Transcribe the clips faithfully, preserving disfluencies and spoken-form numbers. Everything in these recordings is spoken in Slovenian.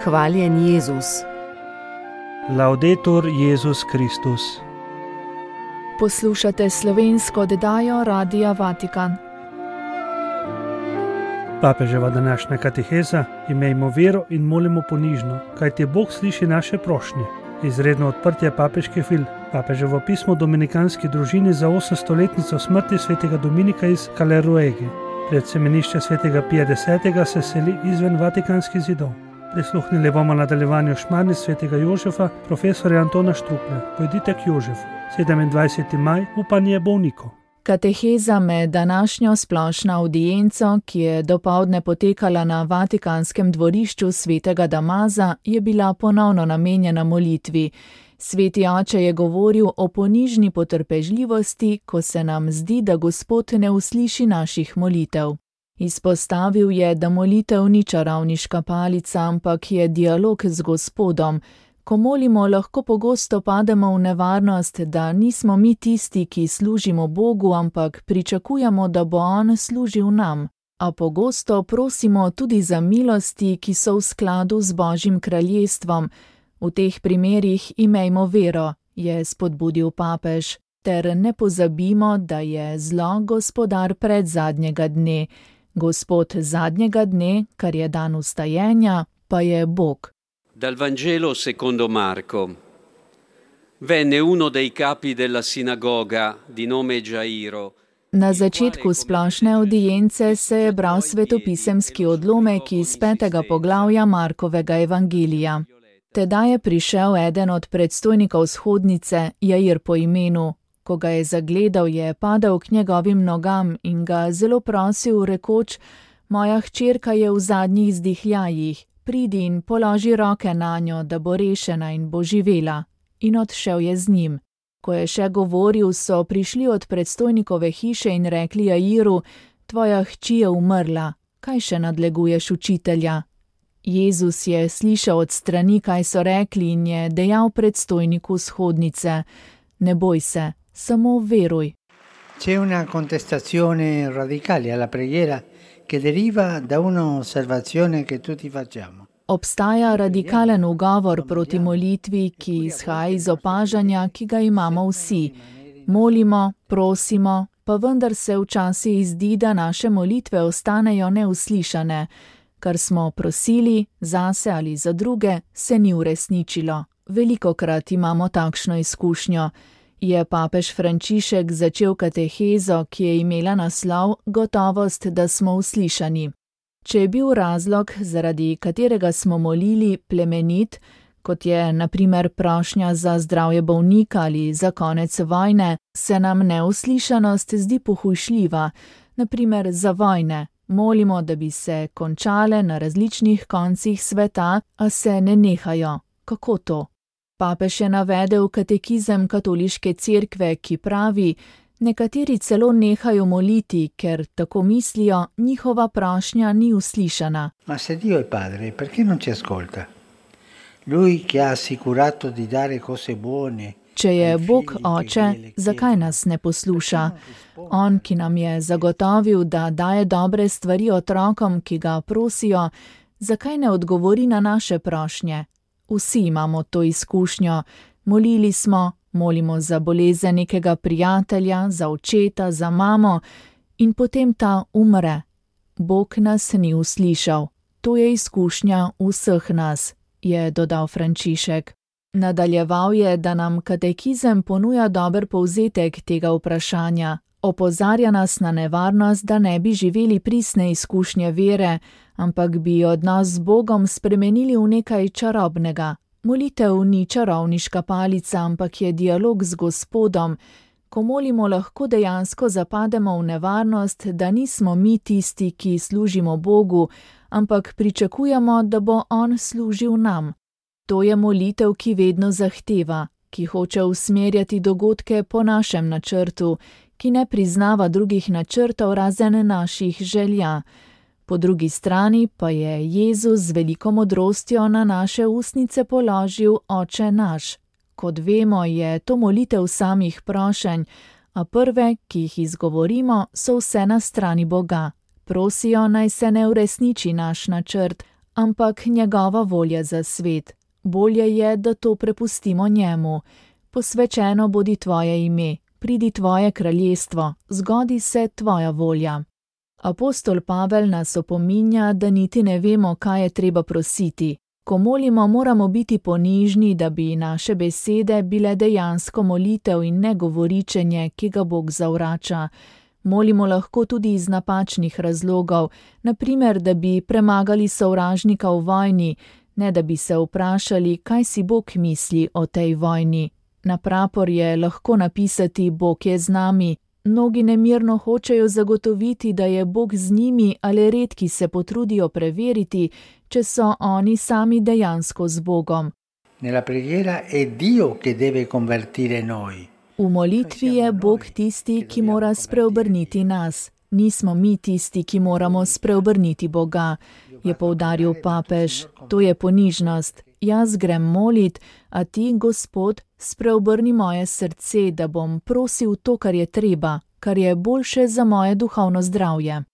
Hvaljen Jezus. Laudetur Jezus Kristus. Poslušate slovensko oddajo Radia Vatikan. Papeževa današnja kateheza: imejmo vero in molimo ponižno, kajti Bog sliši naše prošnje. Izredno odprtje papeške fil. Papeževo pismo dominikanski družini za osemstoletnico smrti svetega Dominika iz Kaleruege. Pred semenišče svetega Pija desetega se seli izven vatikanskih zidov. Prisluhnili bomo nadaljevanju šmarni svetega Jožefa, profesorja Antona Štruklja. Pojdite k Jožefu. sedemindvajseti maj, upanje bolnikov. Kateheza med današnjo splošno avdienco, ki je dopoldne potekala na vatikanskem dvorišču svetega Damaza, je bila ponovno namenjena molitvi. Sveti oče je govoril o ponižni potrpežljivosti, ko se nam zdi, da Gospod ne usliši naših molitev. Izpostavil je, da molitev ni čarovniška palica, ampak je dialog z Gospodom. Ko molimo, lahko pogosto pademo v nevarnost, da nismo mi tisti, ki služimo Bogu, ampak pričakujemo, da bo On služil nam. A pogosto prosimo tudi za milosti, ki so v skladu z Božjim kraljestvom. V teh primerih imejmo vero, je spodbudil papež, ter ne pozabimo, da je zlo gospodar predzadnjega dne. Gospod zadnjega dne, kar je dan vstajenja, pa je Bog. Dal Vangelo secondo Marco. Venne uno dei capi della sinagoga di nome Gairo. Na začetku splošne avdience se je bral svetopisemski odlomek iz petega poglavja Markovega evangelija. Tedaj je prišel eden od predstojnikov vzhodnice, Jair po imenu. Ko ga je zagledal, je padel k njegovim nogam in ga zelo prosil, rekoč: moja hčerka je v zadnjih zdihljajih, pridi in položi roke nanjo, da bo rešena in bo živela. In odšel je z njim. Ko je še govoril, so prišli od predstojnikove hiše in rekli Jairu: tvoja hči je umrla, kaj še nadleguješ učitelja? Jezus je slišal od strani, kaj so rekli, in je dejal predstojniku vzhodnice: ne boj se, samo veruj. C'è una contestazione radicale alla preghiera che deriva da un'osservazione che tutti facciamo. Obstaja radikalen ugovor proti molitvi, ki izhaja iz opažanja, ki ga imamo vsi. Molimo, prosimo, pa vendar se včasih zdi, da naše molitve ostanejo neuslišane. Kar smo prosili, zase ali za druge, se ni uresničilo. Velikokrat imamo takšno izkušnjo. Je papež Frančišek začel katehezo, ki je imela naslov Gotovost, da smo uslišani. Če je bil razlog, zaradi katerega smo molili, plemenit, kot je na primer prošnja za zdravje bolnika ali za konec vojne, se nam neuslišanost zdi pohujšljiva, na primer za vojne. Molimo, da bi se končale na različnih koncih sveta, a se ne nehajo. Kako to? Papež je navedel katekizem katoliške cerkve, ki pravi: nekateri celo nehajo moliti, ker tako mislijo, njihova prošnja ni uslišana. Ma se Dio è padre, perché non ci ascolta? Lui che ha assicurato di dare cose buone. Če je Bog oče, zakaj nas ne posluša? On, ki nam je zagotovil, da daje dobre stvari otrokom, ki ga prosijo, zakaj ne odgovori na naše prošnje? Vsi imamo to izkušnjo. Molili smo, molimo za bolezen nekega prijatelja, za očeta, za mamo in potem ta umre. Bog nas ni uslišal. To je izkušnja vseh nas, je dodal Frančišek. Nadaljeval je, da nam katekizem ponuja dober povzetek tega vprašanja. Opozarja nas na nevarnost, da ne bi živeli pristne izkušnje vere, ampak bi odnos z Bogom spremenili v nekaj čarobnega. Molitev ni čarovniška palica, ampak je dialog z Gospodom. Ko molimo, lahko dejansko zapademo v nevarnost, da nismo mi tisti, ki služimo Bogu, ampak pričakujemo, da bo On služil nam. To je molitev, ki vedno zahteva, ki hoče usmerjati dogodke po našem načrtu, ki ne priznava drugih načrtov razen naših želja. Po drugi strani pa je Jezus z veliko modrostjo na naše ustnice položil Oče naš. Kot vemo, je to molitev samih prošenj, a prve, ki jih izgovorimo, so vse na strani Boga. Prosijo, naj se ne uresniči naš načrt, ampak njegova volja za svet. Bolje je, da to prepustimo njemu. Posvečeno bodi tvoje ime, pridi tvoje kraljestvo, zgodi se tvoja volja. Apostol Pavel nas opominja, da niti ne vemo, kaj je treba prositi. Ko molimo, moramo biti ponižni, da bi naše besede bile dejansko molitev in ne govoričenje, ki ga Bog zavrača. Molimo lahko tudi iz napačnih razlogov, na primer, da bi premagali sovražnika v vojni, ne da bi se vprašali, kaj si Bog misli o tej vojni. Na prapor je lahko napisati Bog je z nami. Mnogi nemirno hočejo zagotoviti, da je Bog z njimi, ali redki se potrudijo preveriti, če so oni sami dejansko z Bogom. Nella preghiera è Dio che deve convertire noi. V molitvi je Bog tisti, ki mora spreobrniti nas. Nismo mi tisti, ki moramo spreobrniti Boga, je poudaril papež. To je ponižnost. Jaz grem molit, a ti, Gospod, spreobrni moje srce, da bom prosil to, kar je treba, kar je boljše za moje duhovno zdravje.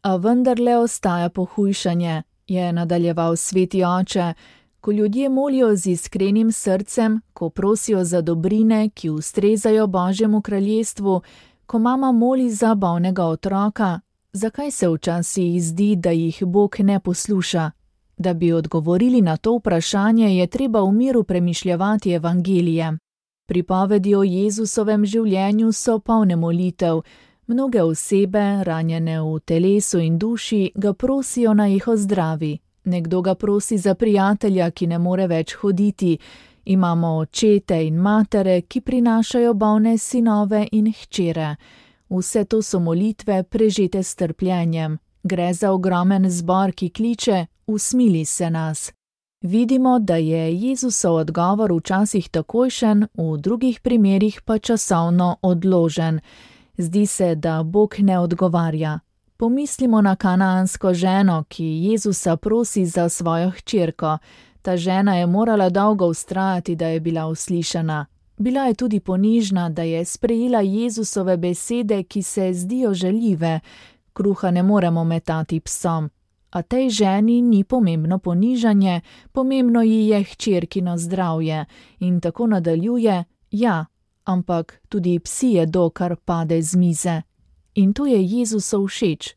A vendarle ostaja pohujšanje, je nadaljeval sveti oče. Ko ljudje molijo z iskrenim srcem, ko prosijo za dobrine, ki ustrezajo Božjemu kraljestvu, ko mama moli za bolnega otroka, zakaj se včasih zdi, da jih Bog ne posluša? Da bi odgovorili na to vprašanje, je treba v miru premišljevati evangelije. Pripovedi o Jezusovem življenju so polne molitev. Mnoge osebe, ranjene v telesu in duši, ga prosijo, naj jih ozdravi. Nekdo ga prosi za prijatelja, ki ne more več hoditi. Imamo očete in matere, ki prinašajo bolne sinove in hčere. Vse to so molitve, prežete s trpljenjem. Gre za ogromen zbor, ki kliče: usmili se nas. Vidimo, da je Jezusov odgovor včasih takojšen, v drugih primerih pa časovno odložen. Zdi se, da Bog ne odgovarja. Pomislimo na kanaansko ženo, ki Jezusa prosi za svojo hčerko. Ta žena je morala dolgo vztrajati, da je bila uslišana. Bila je tudi ponižna, da je sprejela Jezusove besede, ki se zdijo žaljive. Kruha ne moremo metati psom. A tej ženi ni pomembno ponižanje, pomembno ji je hčerkino zdravje. In tako nadaljuje: ja, ampak tudi psi jedo, kar pade z mize. In to je Jezusu všeč.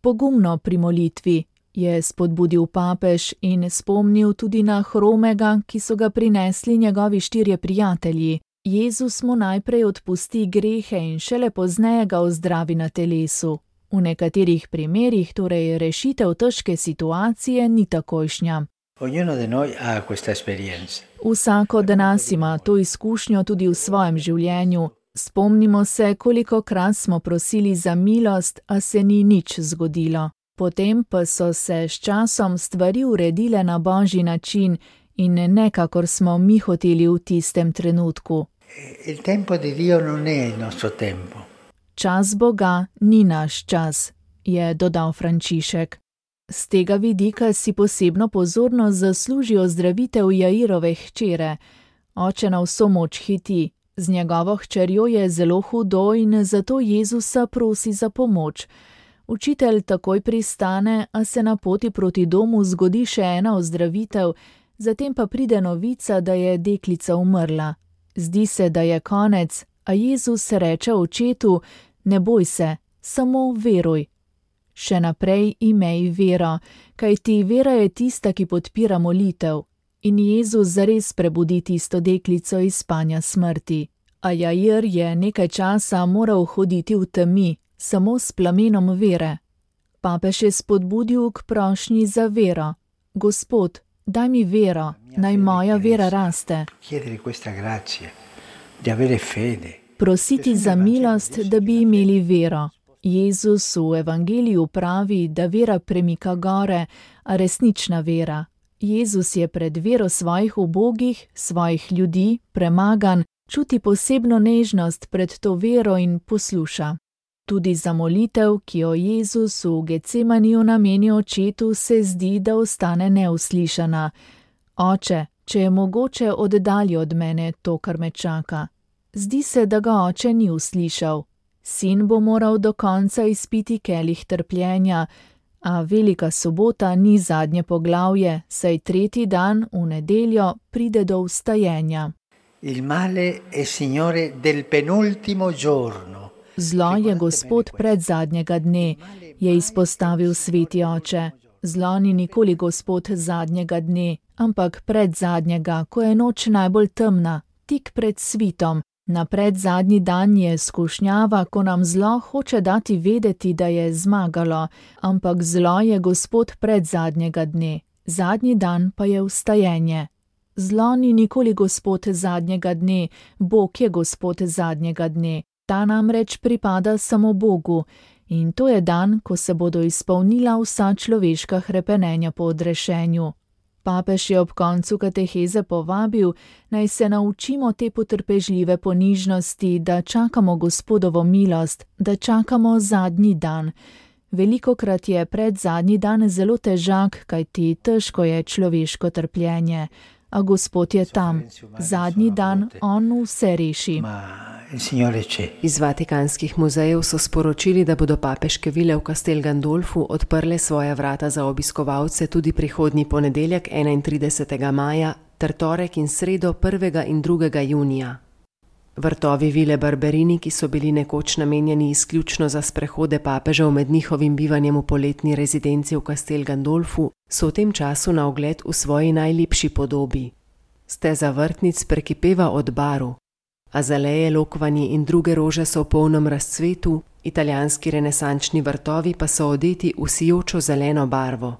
Pogumno pri molitvi, je spodbudil papež in spomnil tudi na hromega, ki so ga prinesli njegovi štirje prijatelji. Jezus mu najprej odpusti grehe in šele pozneje ga ozdravi na telesu. V nekaterih primerih torej rešitev težke situacije ni takojšnja. Ognuno di noi ha questa esperienza. Vsako od nas ima to izkušnjo tudi v svojem življenju. Spomnimo se, kolikokrat smo prosili za milost, a se ni nič zgodilo. Potem pa so se s časom stvari uredile na Božji način in ne kakor smo mi hoteli v tistem trenutku. Il tempo di Dio non è il nostro tempo. Čas Boga ni naš čas, je dodal Frančišek. Z tega vidika si posebno pozornost zasluži ozdravitev Jairove hčere. Oče na vso moč hiti. Z njegovo hčerjo je zelo hudo in zato Jezusa prosi za pomoč. Učitelj takoj pristane, a se na poti proti domu zgodi še ena ozdravitev, zatem pa pride novica, da je deklica umrla. Zdi se, da je konec, a Jezus reče očetu: ne boj se, samo veruj. Še naprej imej vero, kajti vera je tista, ki podpira molitev. In Jezus zares prebudi tisto deklico iz spanja smrti. A Jair je nekaj časa moral hoditi v temi, samo s plamenom vere. Papež je spodbudil k prošnji za vero. Gospod, daj mi vero, naj moja vera raste. Prositi za milost, da bi imeli vero. Jezus v evangeliju pravi, da vera premika gore, a resnična vera. Jezus je pred vero svojih ubogih, svojih ljudi, premagan, čuti posebno nežnost pred to vero in posluša. Tudi za molitev, ki jo Jezus v Getsemaniju nameni očetu, se zdi, da ostane neuslišana. Oče, če je mogoče, oddalji od mene to, kar me čaka. Zdi se, da ga oče ni uslišal. Sin bo moral do konca izpiti kelih trpljenja, A Velika sobota ni zadnje poglavje, saj tretji dan, v nedeljo, pride do vstajenja. Il male è signore del penultimo giorno. Zlo je gospod predzadnjega dne, je izpostavil sveti oče. Zlo ni nikoli gospod zadnjega dne, ampak predzadnjega, ko je noč najbolj temna, tik pred svitom. Na predzadnji dan je skušnjava, ko nam zlo hoče dati vedeti, da je zmagalo, ampak zlo je gospod predzadnjega dne, zadnji dan pa je vstajenje. Zlo ni nikoli gospod zadnjega dne, Bog je gospod zadnjega dne. Ta namreč pripada samo Bogu in to je dan, ko se bodo izpolnila vsa človeška hrepenenja po odrešenju. Papež je ob koncu kateheze povabil, naj se naučimo te potrpežljive ponižnosti, da čakamo Gospodovo milost, da čakamo zadnji dan. Velikokrat je predzadnji dan zelo težak, kajti težko je človeško trpljenje. A Gospod je tam. Zadnji dan on vse reši. Iz Vatikanskih muzejev so sporočili, da bodo papeške vile v Castel Gandolfu odprle svoja vrata za obiskovalce tudi prihodnji ponedeljek enaintridesetega maja ter torek in sredo prvega in drugega junija. Vrtovi vile Barberini, ki so bili nekoč namenjeni izključno za sprehode papežev med njihovim bivanjem v poletni rezidenci v Castel Gandolfu, so v tem času na ogled v svoji najlepši podobi. Steza vrtnic prekipeva od baru. Azaleje, lokvanji in druge rože so v polnem razcvetu, italijanski renesančni vrtovi pa so odeti v sijočo zeleno barvo.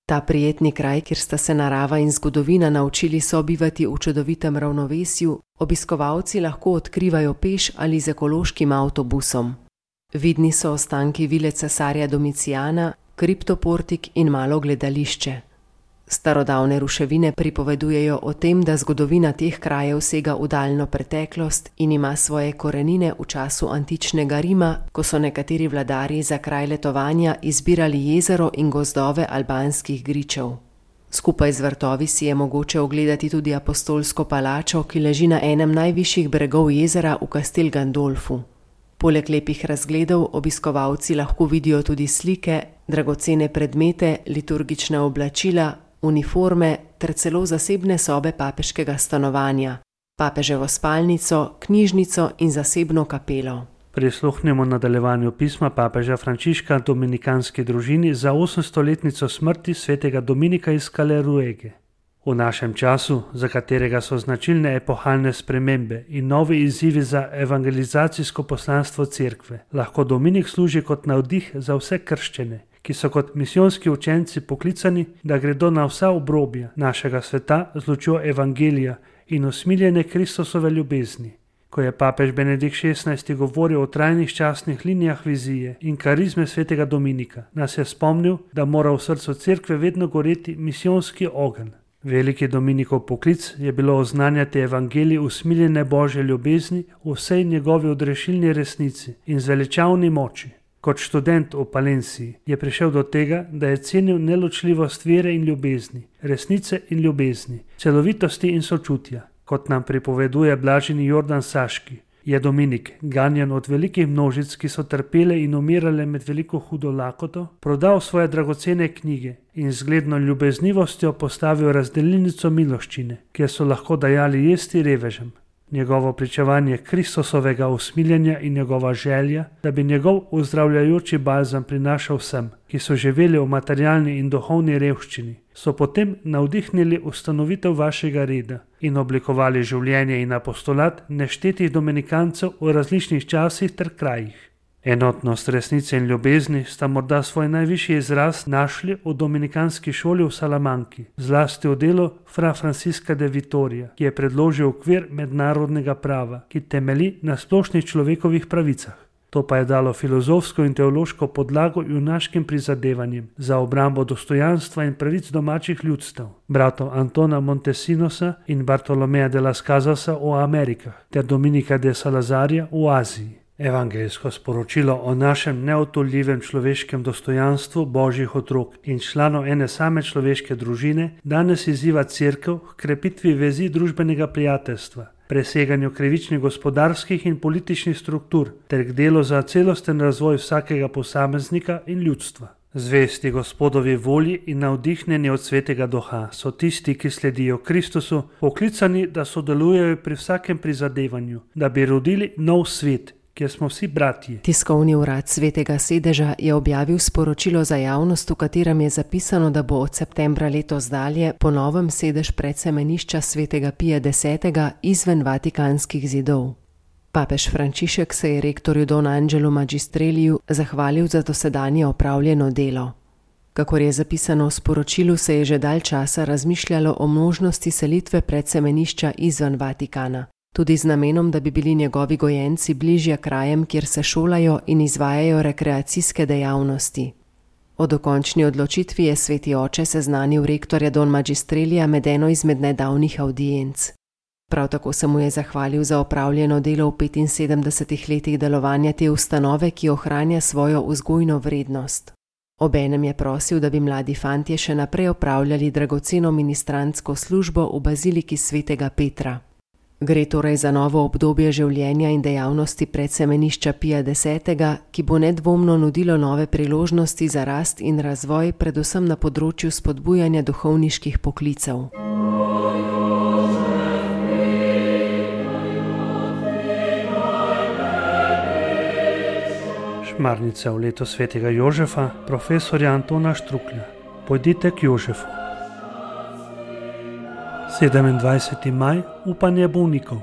Ta prijetni kraj, kjer sta se narava in zgodovina naučili sobivati v čudovitem ravnovesju, obiskovalci lahko odkrivajo peš ali z ekološkim avtobusom. Vidni so ostanki vile cesarja Domicijana, kriptoportik in malo gledališče. Starodavne ruševine pripovedujejo o tem, da zgodovina teh krajev sega v daljno preteklost in ima svoje korenine v času antičnega Rima, ko so nekateri vladarji za kraj letovanja izbirali jezero in gozdove albanskih gričev. Skupaj z vrtovi si je mogoče ogledati tudi apostolsko palačo, ki leži na enem najvišjih bregov jezera v Castel Gandolfu. Poleg lepih razgledov obiskovalci lahko vidijo tudi slike, dragocene predmete, liturgična oblačila, uniforme ter celo zasebne sobe papeškega stanovanja, papeževo spalnico, knjižnico in zasebno kapelo. Prisluhnemo nadaljevanju pisma papeža Frančiška dominikanski družini za osemstoletnico smrti svetega Dominika iz Kaleruege. V našem času, za katerega so značilne epohalne spremembe in novi izzivi za evangelizacijsko poslanstvo cerkve, lahko Dominik služi kot navdih za vse krščene, ki so kot misijonski učenci poklicani, da gredo na vsa obrobja našega sveta z lučjo evangelija in usmiljene Kristusove ljubezni. Ko je papež Benedikt šestnajsti govoril o trajnih časnih linijah vizije in karizme svetega Dominika, nas je spomnil, da mora v srcu cerkve vedno goreti misijonski ogenj. Veliki Dominikov poklic je bilo oznanjati evangelij usmiljene Božje ljubezni v vsej njegovi odrešilni resnici in zveličavni moči. Kot študent v Palenciji je prišel do tega, da je cenil neločljivost vere in ljubezni, resnice in ljubezni, celovitosti in sočutja. Kot nam pripoveduje blaženi Jordan Saški, je Dominik, ganjan od velikih množic, ki so trpele in umirale med veliko hudo lakoto, prodal svoje dragocene knjige in z zgledno ljubeznivostjo postavil razdelilnico miloščine, kjer so lahko dajali jesti revežem. Njegovo pričevanje Kristusovega usmiljenja in njegova želja, da bi njegov uzdravljajoči balzam prinašal vsem, ki so živeli v materialni in duhovni revščini, so potem navdihnili ustanovitev vašega reda in oblikovali življenje in apostolat neštetih dominikancev v različnih časih ter krajih. Enotnost resnice in ljubezni sta morda svoj najvišji izraz našli v dominikanski šoli v Salamanki, zlasti v delu fra Francisca de Vitoria, ki je predložil okvir mednarodnega prava, ki temelji na splošnih človekovih pravicah. To pa je dalo filozofsko in teološko podlago junaškim prizadevanjem za obrambo dostojanstva in pravic domačih ljudstev, bratov Antona Montesinosa in Bartolomeja de las Casasa v Amerikah ter Dominika de Salazarja v Aziji. Evangeljsko sporočilo o našem neotoljivem človeškem dostojanstvu Božjih otrok in članov ene same človeške družine danes izziva cerkev k krepitvi vezi družbenega prijateljstva, preseganju krivičnih gospodarskih in političnih struktur ter k delu za celosten razvoj vsakega posameznika in ljudstva. Zvesti Gospodovi volji in navdihnjeni od Svetega Duha so tisti, ki sledijo Kristusu, poklicani, da sodelujejo pri vsakem prizadevanju, da bi rodili nov svet, kjer smo vsi bratji. Tiskovni urad Svetega sedeža je objavil sporočilo za javnost, v katerem je zapisano, da bo od septembra letos dalje po novem sedež predsemenišča Svetega Pija desetega izven vatikanskih zidov. Papež Frančišek se je rektorju Don Angelu Magistreliju zahvalil za dosedanje opravljeno delo. Kakor je zapisano v sporočilu, se je že dalj časa razmišljalo o možnosti selitve predsemenišča izven Vatikana, tudi z namenom, da bi bili njegovi gojenci bližje krajem, kjer se šolajo in izvajajo rekreacijske dejavnosti. O dokončni odločitvi je sveti oče seznanil rektorja Don Magistrelija med eno izmed nedavnih avdienc. Prav tako se mu je zahvalil za opravljeno delo v petinsedemdesetih letih delovanja te ustanove, ki ohranja svojo vzgojno vrednost. Obenem je prosil, da bi mladi fantje še naprej opravljali dragoceno ministrantsko službo v baziliki Svetega Petra. Gre torej za novo obdobje življenja in dejavnosti predsemenišča Pija desetega, ki bo nedvomno nudilo nove priložnosti za rast in razvoj, predvsem na področju spodbujanja duhovniških poklicev. Šmarnica v leto svetega Jožefa, profesorja Antona Štruklja. Pojdite k Jožefu. sedemindvajseti maj, upanje bolnikov.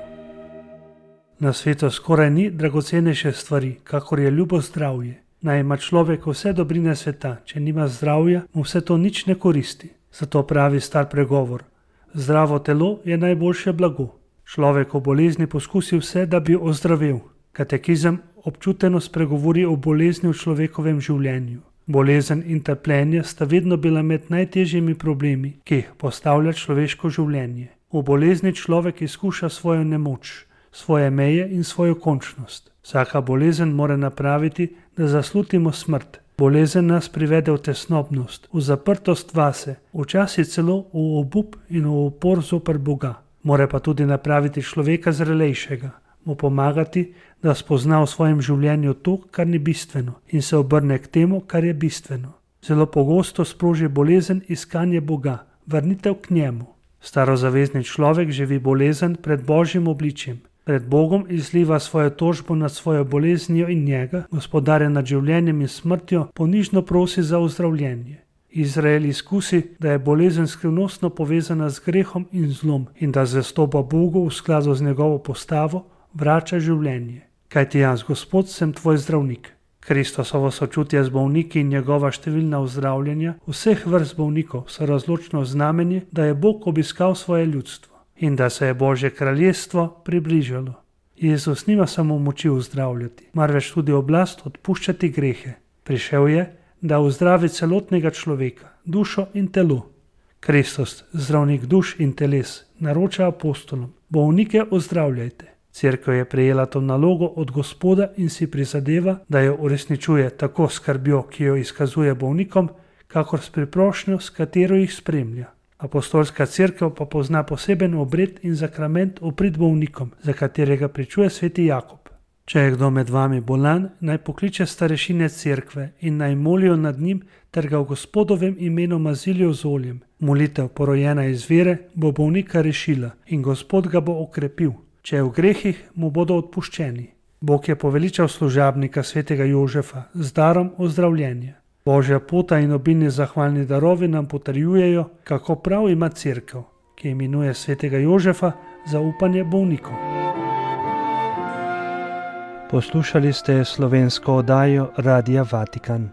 Na svetu skoraj ni dragocenejše stvari, kakor je ljubo zdravje. Naj ima človek vse dobrine sveta, če nima zdravja, mu vse to nič ne koristi. Zato pravi star pregovor: zdravo telo je najboljše blago. Človek o bolezni poskusi vse, da bi ozdravel. Katekizem občuteno spregovori o bolezni v človekovem življenju. Bolezen in trpljenje sta vedno bila med najtežjimi problemi, ki jih postavlja človeško življenje. V bolezni človek izkuša svojo nemoč, svoje meje in svojo končnost. Vsaka bolezen mora napraviti, da zaslutimo smrt. Bolezen nas privede v tesnobnost, v zaprtost vase, včasih celo v obup in v upor zoper Boga. Mora pa tudi napraviti človeka zrelejšega, mu pomagati, da spozna v svojem življenju to, kar ni bistveno, in se obrne k temu, kar je bistveno. Zelo pogosto sproži bolezen iskanje Boga, vrnitev k njemu. Starozavezni človek živi bolezen pred Božjim obličjem. Pred Bogom izliva svojo tožbo nad svojo boleznijo in njega, gospodarja nad življenjem in smrtjo, ponižno prosi za ozdravljenje. Izrael izkusi, da je bolezen skrivnostno povezana z grehom in zlom in da zvestoba Bogu v skladu z njegovo postavo vrača življenje. Kaj ti jaz, Gospod, sem tvoj zdravnik. Kristosovo sočutje z bolniki in njegova številna ozdravljanja vseh vrst bolnikov so razločno znamenje, da je Bog obiskal svoje ljudstvo in da se je Božje kraljestvo približalo. Jezus nima samo moči ozdravljati, marveč tudi oblast odpuščati grehe. Prišel je, da ozdravi celotnega človeka, dušo in telo. Kristus, zdravnik duš in teles, naroča apostolom: bolnike ozdravljajte. Cerkev je prejela to nalogo od Gospoda in si prizadeva, da jo uresničuje tako s skrbjo, ki jo izkazuje bolnikom, kakor s priprošnjo, s katero jih spremlja. Apostolska cerkev pa pozna poseben obred in zakrament v prid bolnikom, za katerega pričuje sveti Jakob. Če je kdo med vami bolan, naj pokliče starešine cerkve in naj molijo nad njim ter ga v Gospodovem imenu mazilijo z oljem. Molitev, porojena iz vere, bo bolnika rešila in Gospod ga bo okrepil. Če je v grehih, mu bodo odpuščeni. Bog je poveličal služabnika svetega Jožefa z darom ozdravljenja. Božja pota in obilni zahvalni darovi nam potrjujejo, kako prav ima cerkev, ki imenuje svetega Jožefa za upanje bolnikov. Poslušali ste slovensko oddajo Radia Vatikan.